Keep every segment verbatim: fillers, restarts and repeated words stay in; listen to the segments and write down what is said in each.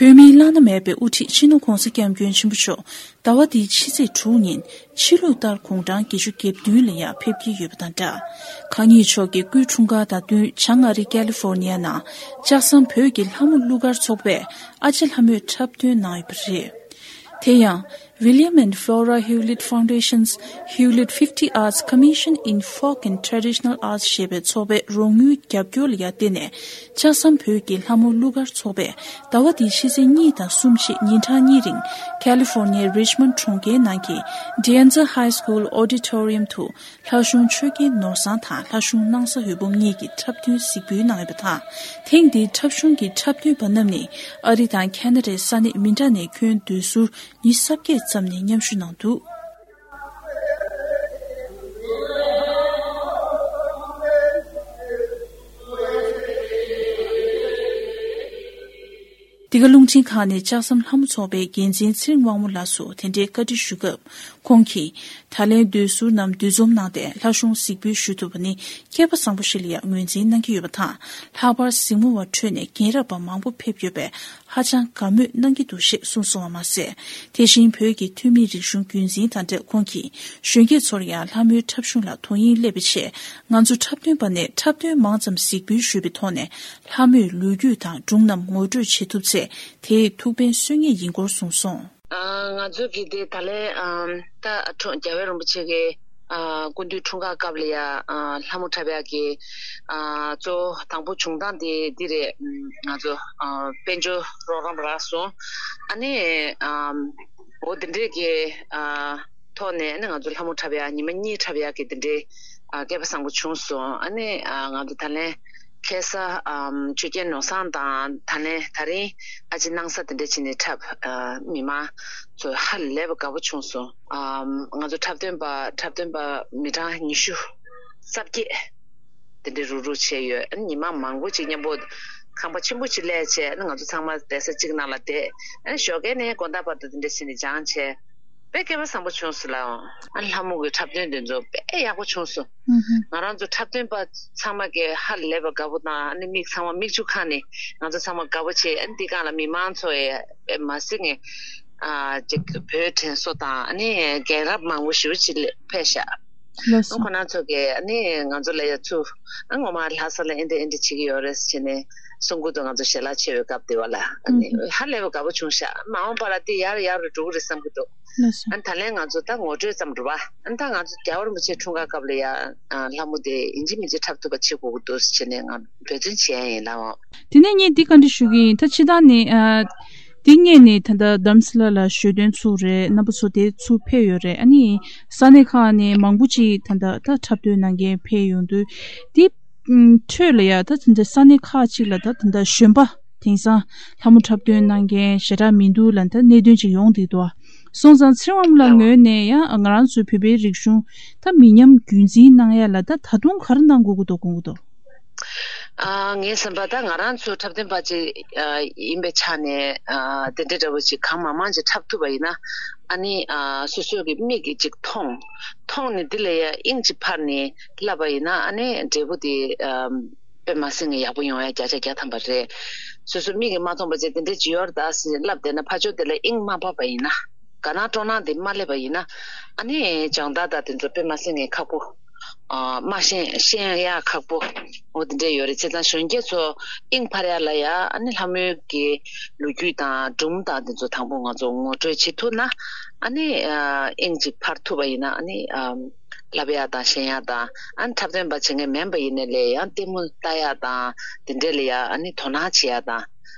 བོད་མིའི་བླ་ན་མེད་པའི་དབུ་ཁྲིད་སྤྱི་ནོར་༧གོང་ས་༧སྐྱབས་མགོན་ཆེན་པོ་མཆོག་ཟླ་བ་འདིའི་ཕྱི་ཚེས་དྲུག་ཉིན་ཕྱི་ལུགས་ལྟར་དགུང་གྲངས་བརྒྱད་ཅུ་གྱ་བདུན་ལ་ཡང་ཕེབས་ཀྱི་ཡོད་པ་དང་སྦྲགས། གང་ཉིད་མཆོག་གི་སྐུའི་འཁྲུངས་སྐར་དང་བསྟུན་བྱང་ཨ་རི་ཀ་ལི་ཧྥོར་ནི་ཡ་ནང་ལྕགས་ཟམ་བོད་ཀྱི་ལྷ་མོ་གླུ་གར་ཚོགས་པས་ཨ་ཅེ་ལྷ་མོའི་འཁྲབ་སྟོན་གནང་ཡོད་པ་རེད། དེ་ཡང་། William and Flora Hewlett Foundation's Hewlett fifty Arts Commission in Folk and Traditional Arts ཞེས་པའི་ཚོགས་པའི་རོགས་དངུལ་རྒྱབ་སྐྱོར་ལ་ཡང་བརྟེན་ནས། ལྕགས་ཟམ་བོད་ཀྱི་ལྷ་མོ་གླུ་གར་ཚོགས་པས་ཟླ་བ་འདིའི་ཕྱི་ཚེས་གཉིས་དང་གསུམ་བཅས་ཉིན་གྲངས་གཉིས་རིང་ཀ་ལི་ཧྥོར་ནི་ཡའི་རིཆ་མོན་ཌི་གྲོང་ཁྱེར་ནང་གི་Dianza High School Auditorium དུ་ལྷ་གཞུང་ཆོས་རྒྱལ་ནོར་བཟང་དང་ལྷ་གཞུང་སྣང་ས་འོད་འབུམ་གཉིས་ཀྱིས་འཁྲབ་སྟོན་གཟིགས་འབུལ་གནང་ཡོད་པ་དང་། ཐེངས་འདིའི་འཁྲབ་གཞུང་གི་འཁྲབ་སྟོན་པ་རྣམས་ནི་ཨ་རི་དང་ཁ་ན་ཌའི་ས་གནས་མི་འདྲ་ནས་ཁྱོན་བསྡུས་ཟུར་ཉི་ཤུ་རྩ་བརྒྱད་ཙམ་ནས་མཉམ་ཞུགས་གནང་འདུག། འདི་ག་རླུང་འཕྲིན་ཁང་ནས་ལྕགས་ཟམ་ལྷ་མོ་ཚོགས་པའི་འགན་འཛིན་ཚེ་རིང་དབང་མོ་ལགས་སུ་དེ་འདྲའི་བཀའ་འདྲི་ཞུ་སྐབས། ཁོང་གིས། ད་ལན་བསྡུས་ཟུར་རྣམས་འདུ་འཛོམས་གནང་སྟེ་ལྷ་གཞུང་གཟིགས་འབུལ་ཞུ་ཐུབ་པ་ནི་སྐལ་པ་བཟང་པོ་ཞིག་ལ་ཡང་ངོས་འཛིན་གནང་གི་ཡོད་པ་དང་། ལྷག་པར་གཟིགས་མོ་བ་ཁྲོད་ནས་རྒན་རབས་པ་མང་པོ་ཕེབས་ཡོད་པས་ཧ་ཅང་དགའ་མོས་གནང་གི་འདུག་ཞེས་གསུངས་སོང་བ་མ་ཟད། དེ་བཞིན་བོད་ཀྱི་ཐུན་མིན་རིག་གཞུང་རྒྱུན་འཛིན་དང་འབྲེལ་ཁོང་གིས་གཞོན་སྐྱེས་ཚོར་ཡང་ལྷ་མོའི་འཁྲབ་གཞུང་ལ་དོ་དབྱིངས་སླེབས་པའི་ཆེད། ང་ཚོ་འཁྲབ་སྟོན་པ་ནས་འཁྲབ་སྟོན་མང་ཙམ་གཟིགས་འབུལ་ཞུས་པའི་ཐོག་ནས། ལྷ་མོའི་ལོ་རྒྱུས་དང་སྒྲུང་རྣམས་ངོ་སྤྲོད་བྱེད་ཐུབ་ཚེ་དེས་ཐུགས་ཕན་གསོས་ངེས་ཡིན་སྐོར་གསུངས་སོང་། ཨ། ང་ཚོ་གི་དེ་ད་ལན། ཨ། ད་འཁྲུངས་རྒྱལ་བའི་རིན་པོ་ཆེ་གི། ཨ། སྐུ་མདུན་འཁྲུངས་སྐར་སྐབས་ལ་ཡ། ཨ། ལྷ་མོ་འཁྲབ་ཡག་གི། ཨ། གཙོ་བོ་དང་པོ་བྱུང་སྟངས་དེ་འདི་རེད། ཨམ། ང་ཚོ། ཨ། དཔལ་འབྱོར་རོགས་རམ་རག་སོང་། ཨ་ནི། ཨམ། འོ་དེ་འདྲས་ཀྱི། ཨ། ཐོག་ནས་ཨ་ནི་ང་ཚོ་ལྷ་མོ་འཁྲབ་ཡག་ཉི་མ་གཉིས་འཁྲབ་ཡག་གི་དེ་འདྲའི། ཨ། སྐལ་པ་བཟང་པོ་བྱུང་སོང་། ཨ་ནི། ཨ། ང་ཚོ་ད་ལན་ཁ་སང་། ཨམ། ཆོས་རྒྱལ་ནོར་བཟང་དང་ད་ལན་ད་རིང་ཨ་ཅེ་སྣང་ས་དེ་འདྲ་བྱས་ནས་འཁྲབ། ཨ། མི་མང་ཚོ་ཧ་ལས་པ་དགའ་པོ་བྱུང་སོང་། ཨམ། ང་ཚོ་འཁྲབ་སྟོན་པ་འཁྲབ་སྟོན་པ་མི་གྲངས་ཉི་ཤུ་རྩ་བརྒྱད་དེ་འདྲ་རུག་རུག་བྱས་ཡོད། ཨ་ནི་ཉི་མ་མང་པོ་ཅིག་མཉམ་པོ་ཁང་པ་ཆེན་པོ་ཅིག་གླས་བྱས། ཨ་ནི་ང་ཚོ་ཚང་མ་བསྡད་ས་གཅིག་ནང་ལ་བསྡད། ཨ་ནི་ཞོགས་ཀས་ནས་དགོང་དག་བར་དུ་དེ་འདྲ་བྱས་ནས་སྦྱངས་བྱས། དཔེ་སྐལ་པ་བཟང་པོ་བྱུང་སོང་ལགས། ཨ་ནི་ལྷ་མོ་གི་འཁྲབ་སྟོན་དེ་ཚོ་དཔེ་ཡག་པོ་བྱུང་སོང་། ཨུ་ཧུ། ང་རང་ཚོ་འཁྲབ་སྟོན་པ་ཚང་མ་གིས་ཧ་ལས་པ་དགའ་པོ་དང་། ཨ་ནི་མིག་ཚང་མ་མིག་ཆུ་ཁ་ནས་ང་ཚོ་ཚང་མ་དགའ་པོ་བྱས། ཨ་ནི་འདི་སྒང་ལ་མི་མང་ཚོ་ཡས་དཔེ་མ་སྲིད་ངས། ཨ། ཅིག་བོད་དྲན་གསོ་དང་། ཨ་ནི་རྒན་རབས་མང་པོ་ཞེ་པོ་ཅིག་ཕེབས་ཤག། ལགས་སོ། ཨ། ཁོང་རྣམ་ཚོ་གིས་ཨ་ནི་ང་ཚོ་ལ་ཡ་ཚུར། ཨ། ངོ་མ་ལྷ་ས་ལ་ཨེ་འདྲ་ཨེ་འདྲ་བྱེད་ཀྱི་ཡོད་རེད་ཟེར་ནས་གསུང་གི་འདུག། ང་ཚོ་ཞལ་ལག་མཆོད་པའི་སྐབས་དེ་བ་ལ། ཨ་ནི། ཨུ་ཧུ། ཧ་ལས་པ་དགའ་པོ་བྱུང་ཤག། མ་འོངས་པ་ལ་དེ་ཡར་ཡར་རུ་འགྲོ་གི་རེད་བསམ་གྱི་འདུག། ལགས་སོ། ཨ་ནི་ད་ལན་ང་ཚོ་ད་ངོ་སྤྲོད་ཙམ་རེད་པ། ཨ་ནི་ད་ང་ཚོ་རྒྱལ་བ་རིན་པོ་ཆེ་འཁྲུངས་སྐར་སྐབས་ལ་ཡ། ཨ། ལྷ་མོ་དེ་ཡིན་གཅིག་མིན་གཅིག་འཁྲབ་ཐུབ་པ་བྱེད་དགོས་ཀྱི་འདུག་ཟེར་ནས་ང་འབད་བརྩོན་བྱས་ཡིན་ལགས། དེ་ནས་ངས་འདི་བཀའ་འདྲི་ཞུ་གི་ཡིན། ད་ཕྱི་ཟླ་ནས། ཨ། དེ་སྔོན་ནས་ད་ལྟ་དྷ་རམ་ས་ལ་ལ་ཞོ་སྟོན་ཚུགས་རེད། རྣམ་པ་ཚོ་དེ་ཚུར་ཕེབས་ཡོད་རེད། ཨ་ནི་ས་གནས་ཁག་ནས་མང་པོ་ཅིག་ད་ལྟ་ད་འཁྲབ་སྟོན་གནང་མཁན་ཕེབས་ཡོང་དུས། དེ། ཨུམ། ཁྲོད་ལ་ཡ་ད་ད་ལྟ་ས་གནས་ཁག་ཅིག་ལ་ད་ད་ལྟ་གཞོན་པ་དེང་སང་ལྷ་མོ་འཁྲབ་སྟོན་གནང་མཁན་ཞེ་དྲག་མི་འདུག་ལབ་ད་གནད་དོན་ཅིག་ཡོང་བསྡད་འདུག། སོང་ཙང་ཚེ་རིང་དབང་མོ་ལགས་ངོས་ནས་ཡང་ང་རང་ཚོའི་བོད་པའི་རིག་གཞུང་ད་མི་ཉམས་རྒྱུན་འཛིན་གནང་ཡ་ལ་ད་ད་དུང་ག་རེ་གནང་དགོས་ཀྱི་འདུག་དགོངས་ཀྱི་འདུག། ཨ། ངའི་བསམ་པ་ད་ང་རང་ཚོ་འཁྲབ་སྟོན་པ་ཅིག། ཨ། ཡིན་པའི་ཆ་ནས། ཨ། དེ་འདྲ་འདྲ་བོ་ཅིག་གང་མང་མང་ཅིག་འཁྲབ་ཐུབ་པ་ཡིན་ན། ཨ་ནི། ཨ། སོ་སོ་གི་མིག་གིས་ཅིག་མཐོང་། མཐོང་ནས་དེ་ལ་ཡ་དབྱིངས་ཅིག་འཕར་ནས་བསླབ་པ་ཡིན་ན། ཨ་ནི་འབྲས་བུ་དེ། ཨ། དཔེ་མ་སྲིད་ངས་ཡག་པོ་ཡོང་ཡ་བརྒྱ་ཆ་བརྒྱ་ཐམ་པ་རེད། སོ་སོ་མིག་གིས་མ་མཐོང་པ་བྱས་དེ་འདྲ་ཅིག་ཡོད་རེད་ད་ཟེར་ལབ་བསྡད་ན། ཕར་ཕྱོགས་དེ་ལ་དབྱིངས་མ་འཕར་བ་ཡིན་ན། དགའ་སྣང་སྤྲོ་སྣང་དེ་མ་སླེབས་པ་ཡིན་ན། ཨ་ནི་སྦྱོང་བརྡར་དང་དེ་ཚོ་དཔེ་མ་སྲིད་ངས་ཁག་པོ། ཨ། མ་ཤེས་ཤེས་ཡ་ཁག་པོ། འོ་དེ་འདྲ་ཡོད་རེད། བྱས་ཙང་གཞོན་སྐྱེས་ཚོ་དབྱིངས་འཕར་ཡ་ལ་ཡ། ཨ་ནི་ལྷ་མོའི་གི་ལོ་རྒྱུས་དང་སྒྲུང་དང་དེ་ཚོ་དང་པོ་ང་ཚོ་ངོ་སྤྲོད་བྱེད་ཐུབ་ན། ཨ་ནི། ཨ། དབྱིངས་ཅིག་འཕར་ཐུབ་པ་ཡིན་ན། ཨ་ནི། ཨ། བསླབ་ཡག་དང་ཤེས་ཡག་དང་། ཨ་ནི་འཁྲབ་སྟོན་པ་བྱེད་མཁན་མིན་པ་ཡིན་ནའི་ལས། ཡང་ལྟད་མོ་ལྟ་ཡག་དང་དེ་འདྲས་ལ་ཡ་ཨ་ནི་དོ་སྣང་བྱེད་ཡག་དང་།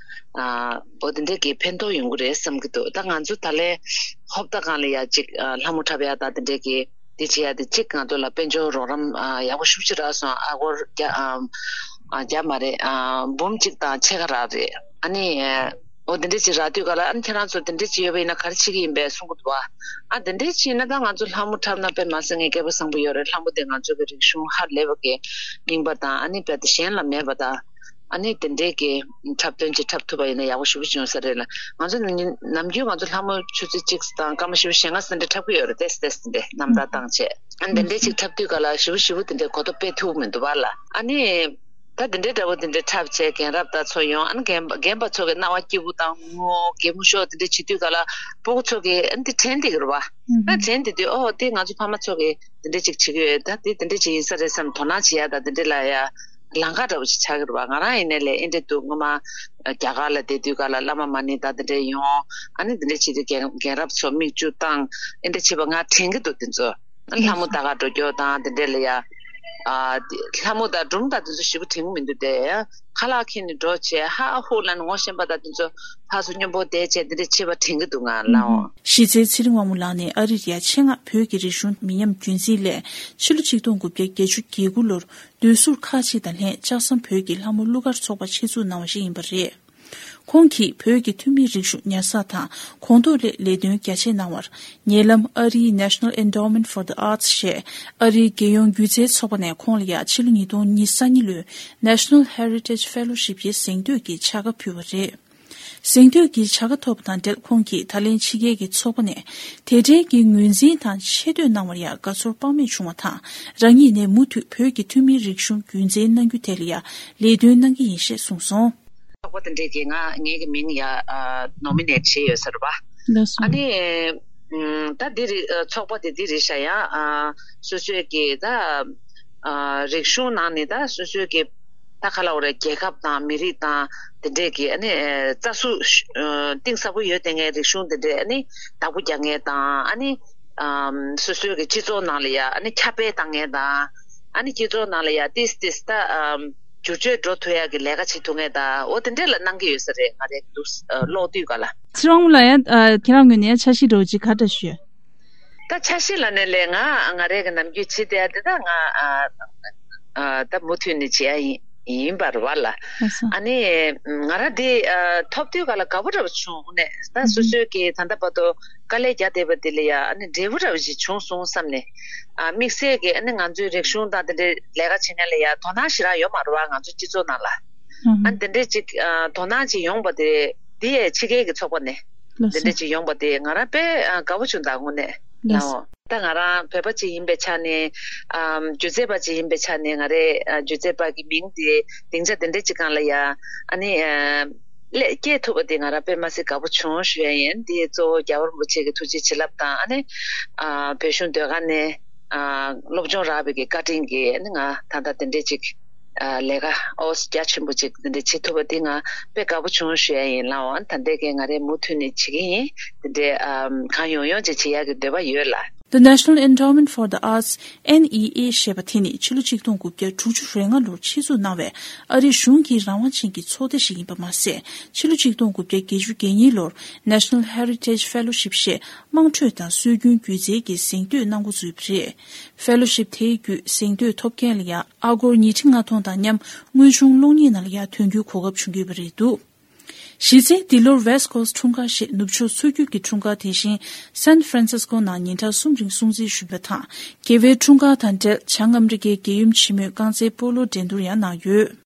ཨ། འོ་དེ་འདྲས་ཀྱི་ཕན་ཐོགས་ཡོང་གི་རེད་བསམ་གྱི་འདུག། ད་ང་ཚོ་ད་ལན་ཧོབ་ཏ་སྒང་ལ་ཡ་ཅིག། ཨ། ལྷ་མོ་འཁྲབ་ཡག་དང་དེ་འདྲས་ཀྱི་དེ་བྱེད་ཡག་དེ་གཅིག་ང་ཚོ་ལ་དཔལ་འབྱོར་རོགས་རམ། ཨ། ཡག་པོ་ཤུགས་ཆེ་རག་སོང་། ཨ་སྒོར་བརྒྱ། ཨ། ཨ། བརྒྱ་མ་རེད། ཨ། འབུམ་གཅིག་དང་ཕྱེད་ཀ་རག་རེད། ཨ་ནི། འོ་དེ་འདྲས་ཅིག་རག་དུས་ག་ལ། ཨ་ནི་ཁྱེད་རང་ཚོ་དེ་འདྲས་ཅིག་ཡོད་པ་ཡིན་ན་ག་རེ་བྱེད་ཀྱི་ཡིན་པས་གསུང་གི་འདུག། ཨ། ཨ་དེ་འདྲས་ཅིག་ཡིན་ན་ད་ང་ཚོ་ལྷ་མོ་འཁྲབ་ན་དཔེ་མ་སྲིད་ངས་སྐལ་པ་བཟང་པོ་ཡོད་རེད། ལྷ་མོ་དེ་ང་ཚོ་གི་རིག་གཞུང་ཧ་ལས་པ་གི་རྙིང་པ་དང་། ཨ་ནི་རྦད་དེ་གཞན་ལ་མེད་པ་དང་། ཨ་ནི་དེ་འདྲས་ཀྱི་འཁྲབ་སྟོན་ཅིག་འཁྲབ་ཐུབ་པ་ཡིན་ན་ཡག་པོ་ཞེ་པོ་ཅིག་ཡོང་ས་རེད་ལ། ང་ཚོ་ནམ་རྒྱུན་ནམ་རྒྱུན་ང་ཚོ་ལྷ་མོ་ཆུ་ཚོད་གཅིག་དང་སྐར་མ་བཞི་བཅུ་ཞེ་ལྔ་ཙམ་འདྲ་འཁྲབ་ཀྱི་ཡོད་རེད། ཏོག་ཙམ་ཏོག་ཙམ་འདྲ་རྣམ་ཐར་བཏང་བྱས། ཨ་ནི་དེ་འདྲས་ཅིག་འཁྲབ་དུས་ག་ལ་ཞེ་པོ་ཞེ་པོ་དེ་འདྲས་གོ་རྟོགས་སྤེལ་ཐུབ་མི་འདུག་པ་ལ། ཨ་ནི། ད་དེ་འདྲའི་འདྲ་པོ་དེ་འདྲའི་འཁྲབ་བྱས་རྒན་རབས་དང་ཚོ་ཡོང་། ཨ་ནི་རྒན་རྒན་པ་ཚོ་གི་རྣ་བ་སྐྱིད་པོ་དང་ངོ་གད་མོ་ཤོར་དེ་འདྲ་བྱེད་དུས་ག་ལ་སྤུ་གུ་ཚོ་གི་ཨ་ནི་དེ་དྲན་བསྡད་ཀྱི་རེད་པ། ཨ་དྲན་བསྡད་དུས་ཨོ་དེ་ང་ཚོ་ཕ་མ་ཚོ་གི་དེ་འདྲ་ཅིག་བྱེད་ཀྱི་ཡོད། ད་དེ་དེ་འདྲ་ཅིག་ཡིན་ས་རེད་བསམ་དོ་སྣང་བྱེད་ཡ་ད་དེ་འདྲ་ལ་ཡ་ལམ་ཁ་འདྲ་པོ་ཅིག་ཆགས་ཀྱི་རེད་པ། ང་རང་ཡིན་ནའི་ལས་ཨེ་འདྲ་འདུག་སྔོན་མ་རྒྱ་གར་ལ་བསྡད་དུས་ག་ལ་བླ་མ་མ་ཎི་དང་དེ་འདྲ་ཡོང་། ཨ་ནི་དེ་འདྲ་བྱེད་དུས་རྒན་རྒན་རབས་ཚོ་མིག་ཆུ་བཏང་ཨེ་འདྲ་བྱེད་པ་ང་དྲན་གྱི་འདུག་དེ་ཚོ། ལྷ་མོ་ལྟ་ག་འགྲོ་རྒྱུ་དང་དེ་འདྲ་ལ་ཡ། ཨ་དེ་ལྷ་མོ་དང་སྒྲུང་དང་དེ་ཚོ་ཞེ་པོ་དྲན་གྱི་མི་འདུག་སྟེ། ཁ་ལག་ཁྱེར་ནས་འགྲོ་བྱས་ཧ་ཧུ་ལ་ནི་ངོ་ཤེས་པ་དང་དེ་ཚོ་ཕར་ཚུར་མཉམ་པོ་བསྡད་བྱས་དེ་འདྲ་བྱེད་པ་དྲན་གྱི་འདུག་ང་ལའོ། གཞི་རྩའི་ཚེ་རིང་དབང་མོ་ལགས་ནས་ཨ་རི་ལ་ཡ་ཆེད་མངགས་བོད་ཀྱི་རིག་གཞུང་མི་ཉམས་རྒྱུན་འཛིན་སླད་ཕྱི་ལོ་ཆིག་སྟོང་དགུ་བརྒྱ་བརྒྱད་ཅུ་གྱ་དགུ་ལོར་སྡོད་ཟུར་ཁག་ཅིག་དང་ལྷན་ལྕགས་ཟམ་བོད་ཀྱི་ལྷ་མོ་གླུ་གར་ཚོགས་པ་ཆེད་འཛུགས་གནང་བ་ཞིག་ཡིན་པ་རེད། ཁོང་གིས་བོད་ཀྱི་ཐུན་མིན་རིག་གཞུང་ཉར་ཚགས་དང་གོང་མཐོར་སླེབས་ལས་དོན་རྒྱ་ཆེ་གནང་བར། ཉེ་ལམ་ཨ་རིའི་National Endowment for the Arts ཞེས་ཨ་རིའི་རྒྱལ་ཡོངས་སྒྱུ་རྩལ་ཚོགས་པ་ནས་ཁོང་ལ་ཡ་ཕྱི་ལོ་ཉིས་སྟོང་ཉེར་གཉིས་ལོའི་National Heritage Fellowship ཡི་གཟེངས་བསྟོད་ཀྱི་བྱ་དགའ་ཕུལ་བ་རེད། གཟེངས་བསྟོད་ཀྱི་བྱ་དགའ་ཐོབ་པ་དང་འབྲེལ་ཁོང་གིས་ད་ལན་ཕྱི་རྒྱལ་གྱི་ཚོགས་པ་ནས་དེ་འབྲེལ་གྱི་ངོས་འཛིན་དང་ཆེ་བསྟོད་གནང་བར་ཡ་དགའ་ཚོར་དཔག་མེད་བྱུང་བ་དང་རང་ཉིད་ནས་མུ་མཐུད་བོད་ཀྱི་ཐུན་མིན་རིག་གཞུང་རྒྱུན་འཛིན་གནང་རྒྱུ་དེ་ལ་ཡ་ལས་དོན་གནང་གི་ཡིན་ཞེས་གསུངས་སོང་། ཚོགས་པ་དེ་འདྲས་ཀྱིས་ང་ངེད་ཀྱི་མིང་ཡ་ནོ་མི་ནེཊ་བྱས་ཡོད་ས་རེད་པ། ལགས་སོ། ཨ་ནི་ཨ་ད་འདི་རེད། ཚོགས་པ་དེ་འདི་རེད་ཤག་ཡ། ཨ་སོ་སོའི་གི་ད་ཨ་རིག་གཞུང་ནང་ནས་ད་སོ་སོའི་གི་ད་ག་ལབ་དགོས་རེད། རྒྱལ་ཁབ་དང་མི་རིགས་དང་དེ་འདྲས་ཀྱི་ཨ་ནི་ཨ་རྩ་ཟུར་ཨ་གཏིང་ཟབ་པོ་ཡོད་དེ་ངའི་རིག་གཞུང་དེ་འདྲས་ཨ་ནི་བདག་པོ་རྒྱག་མཁན་དང་ཨ་ནི་ཨ་སོ་སོའི་གི་སྤྱི་ཚོགས་ནང་ལ་ཡ་ཨ་ནི་ཁྱབ་སྤེལ་བཏང་མཁན་དང་ཨ་ནི་སྤྱི་ཚོགས་ནང་ལ་ཡ་ཏིས་ཏིས་ད་ཨ། བསྒྱུར་བཅོས་འགྲོ་ཐུབ་ཡག་གི་ལས་ཀ་བྱེད་ཐུབ་མཁན་དང་འོ་དེ་འདྲས་ལ་གནང་གི་ཡོད་ས་རེད། ང་རེ་འདུག་ཨ་ཀློག་དུས་ག་ལ། ཚེ་རིང་དབང་མོ་ལགས་ཡ། ཨ་ཁྱེད་རང་ངོས་ནས་ཡ་འཆར་གཞི་འདྲ་བོ་ཅིག་ག་འདྲ་ཞུ། ད་འཆར་གཞི་ལབ་ནའི་ལས་ང་ང་རེ་གི་ནམ་རྒྱུན་བྱེད་བསྡད་ཡ་དེ་ད་ང་ཨ་ཨ་ད་མུ་མཐུད་ནས་བྱེད་ཡ་ཡིན་ཡིན་པ་རེད་པ་ལ། ལགས་སོ། ཨ་ནི་ང་རང་དེ་ཨ་ཐོབ་དུས་ག་ལ་དགའ་པོ་འདྲ་བོ་བྱུང་ནས་ད་སོ་སོའི་གི་ད་ལྟ་བར་དུ་དཀའ་ལས་རྒྱག་བསྡད་པ་དེ་ལ་ཡ་ཨ་ནི་འབྲས་བུ་འདྲ་བོ་ཞིག་བྱུང་སོང་བསམ་ནས། ཨ་དམིགས་བསལ་གྱི་ཨ་ནི་ང་ཚོའི་རིག་གཞུང་དང་དེ་འདྲའི་ལས་ཀ་བྱེད་མཁན་ལ་ཡ་དོ་སྣང་ཞེ་དྲག་ཡོད་མ་རེད་པ། ང་ཚོ་སྤྱི་ཚོགས་ནང་ལ། ཨ་ནི་དེ་འདྲའི་ཅིག་ཨ་དོ་སྣང་ཅིག་ཡོང་པ་དེ་དེ་ཡས་ཕྱི་རྒྱལ་གྱི་ཚོགས་པ་ནས་དེ་འདྲ་ཅིག་ཡོང་པ་དེ་ང་རང་དཔེ་ཨ་དགའ་པོ་བྱུང་། ད་དངོས་གནས་ལའོ། ད་ང་རང་བོད་པ་ཅིག་ཡིན་པའི་ཆ་ནས་ཨམ་སྒྱུ་རྩལ་པ་ཅིག་ཡིན་པའི་ཆ་ནས་ང་རའི་ཨ་སྒྱུ་རྩལ་པ་གི་མིང་དེ་སྡིངས་ཆ་དེ་འདྲ་ཅིག་སྒང་ལ་ཡ་ཨ་ནི་ཨ་སླེབས་སྐྱེལ་ཐུབ་པ་དེ་ང་རང་དཔེ་མ་སྲིད་དགའ་པོ་བྱུང་ཞུ་ཡ་ཡིན། དེ་གཙོ་བོ་རྒྱལ་བ་རིན་པོ་ཆེ་གི་ཐུགས་རྗེ་བྱིན་རླབས་དང་ཨ་ནི་ཨ་བོད་གཞུང་ཟློས་གར་ནས་ཨ་སློབ་སྦྱོང་རག་པའི་གི་བཀའ་དྲིན་གྱིས་ཨ་ནི་ང་ད་ལྟ་དེ་འདྲས་ཅིག་ཨ་ལས་ཀ་ཨོ་རྒྱ་ཆེན་པོ་ཅིག་དེ་འདྲས་བྱེད་ཐུབ་པ་དེ་ང་དཔེ་དགའ་པོ་བྱུང་ཞུ་ཡ་ཡིན་ལའོ། ཨ་ནི་ད་ལྟའི་གི་ང་རས་མུ་མཐུད་ནས་བྱེད་ཀྱི་ཡིན། དེ་འདྲས་ཨ་གང་ཡོང་ཡོང་ཅིག་བྱེད་ཡ་གི་འདོད་པ་ཡོད་ལ། The National Endowment for the Arts N E A ཞེས་པ་དེ་ནི་ཕྱི་ལོ་ཆིག་སྟོང་དགུ་བརྒྱ་དྲུག་ཅུ་རེ་ལྔ་ལོར་ཆེད་འཛུགས་གནང་བའི་ཨ་རིའི་གཞུང་གི་རང་དབང་ཅན་གྱི་ཚོགས་སྡེ་ཞིག་ཡིན་པ་མ་ཟད། ཕྱི་ལོ་ཆིག་སྟོང་དགུ་བརྒྱ་བརྒྱད་ཅུ་གྱ་གཉིས་ལོར་National Heritage Fellowship ཞེས་དམངས་ཁྲོད་དང་སྲོལ་རྒྱུན་སྒྱུ་རྩལ་གྱི་གཟེངས་བསྟོད་གནང་འགོ་བཙུགས་པ་རེད། Fellowship དེའི་བརྒྱུད་གཟེངས་བསྟོད་ཐོབ་མཁན་ལ་ཡང་ཨ་སྒོར་ཉིས་ཁྲི་ལྔ་སྟོང་དང་མཉམ་དངོས་བྱུང་གློག་བརྙན་ནང་ལ་ཡང་ཐོན་རྒྱུའི་གོ་སྐབས་བྱུང་ཡོད་པ་རེད་འདུག་གཞི་རྩའི་འདི་ལོར་West Coast འཁྲུངས་སྐར་ཞེས་ནུབ་ཕྱོགས་ཚུར་རྒྱུད་ཀྱི་འཁྲུངས་སྐར་དེ་བཞིན་San Francisco ནང་ཉིན་གྲངས་གསུམ་རིང་སྲུང་བརྩི་ཞུས་པ་དང་། རྒྱལ་བའི་འཁྲུངས་སྐར་དང་འབྲེལ་བྱང་ཨ་མི་རི་ཀའི་རྒྱལ་ཡུམ་ཆེན་མོས་རྐང་རྩེད་སྤོ་ལོ་འགྲན་བསྡུར་ཡང་གནང་ཡོད།